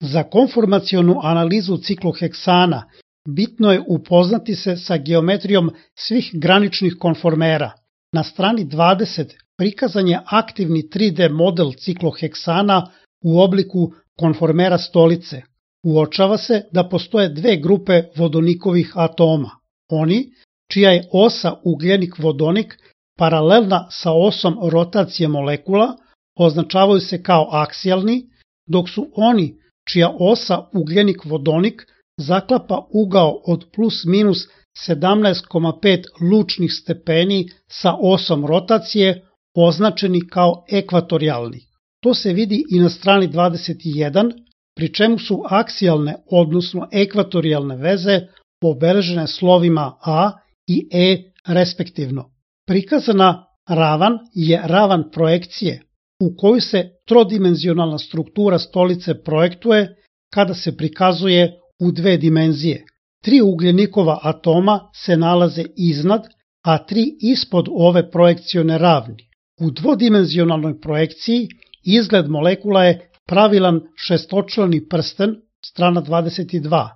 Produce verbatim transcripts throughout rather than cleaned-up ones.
Za konformacionu analizu cikloheksana bitno je upoznati se sa geometrijom svih graničnih konformera. Na strani dvadeset prikazan je aktivni tri D model cikloheksana u obliku konformera stolice. Uočava se da postoje dve grupe vodonikovih atoma. Oni, čija je osa ugljenik-vodonik paralelna sa osom rotacije molekula, označavaju se kao aksijalni, dok su oni, čija osa ugljenik-vodonik zaklapa ugao od plus minus sedamnaest zarez pet lučnih stepeni sa osom rotacije, označeni kao ekvatorijalni. To se vidi i na strani dvadeset jedan, pri čemu su aksijalne, odnosno ekvatorijalne veze obeležene slovima A i E respektivno. Prikazana ravan je ravan projekcije, u koju se trodimenzionalna struktura stolice projektuje kada se prikazuje u dve dimenzije. Tri ugljenikova atoma se nalaze iznad, a tri ispod ove projekcione ravni. U dvodimenzionalnoj projekciji izgled molekula je pravilan šestočlani prsten, strana dvadeset dva.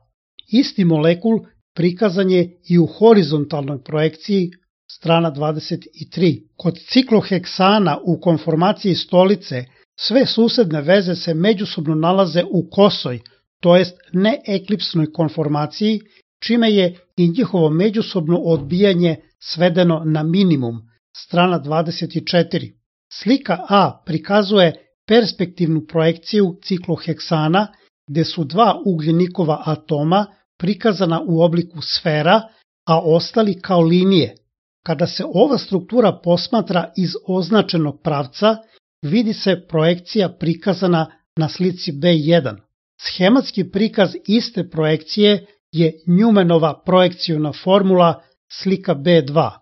Isti molekul prikazan je i u horizontalnoj projekciji, strana dvadeset tri. Kod cikloheksana u konformaciji stolice sve susedne veze se međusobno nalaze u kosoj, to jest neeklipsnoj konformaciji, čime je i njihovo međusobno odbijanje svedeno na minimum, strana dvadeset četiri. Slika A prikazuje perspektivnu projekciju cikloheksana, gde su dva ugljenikova atoma prikazana u obliku sfera, a ostali kao linije. Kada se ova struktura posmatra iz označenog pravca, vidi se projekcija prikazana na slici B jedan. Schematski prikaz iste projekcije je Newmanova projekciona formula, slika B dva.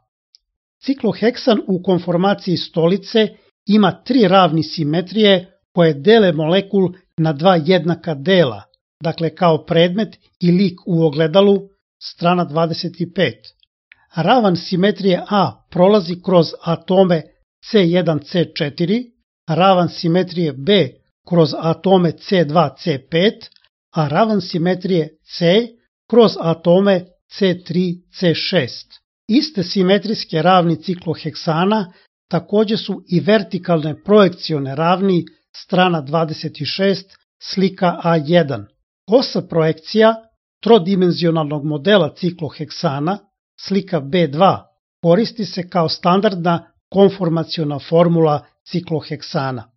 Cikloheksan u konformaciji stolice ima tri ravni simetrije koje dele molekul na dva jednaka dela, dakle kao predmet i lik u ogledalu, strana dvadeset pet. Ravan simetrije A prolazi kroz atome C jedan C četiri, ravan simetrije B kroz atome C dva C pet, a ravan simetrije C kroz atome C tri C šest. Iste simetrijske ravni cikloheksana takođe su i vertikalne projekcione ravni, strana dvadeset šest, slika A jedan. Osa projekcija trodimenzionalnog modela cikloheksana, slika B dva, koristi se kao standardna konformaciona formula cikloheksana.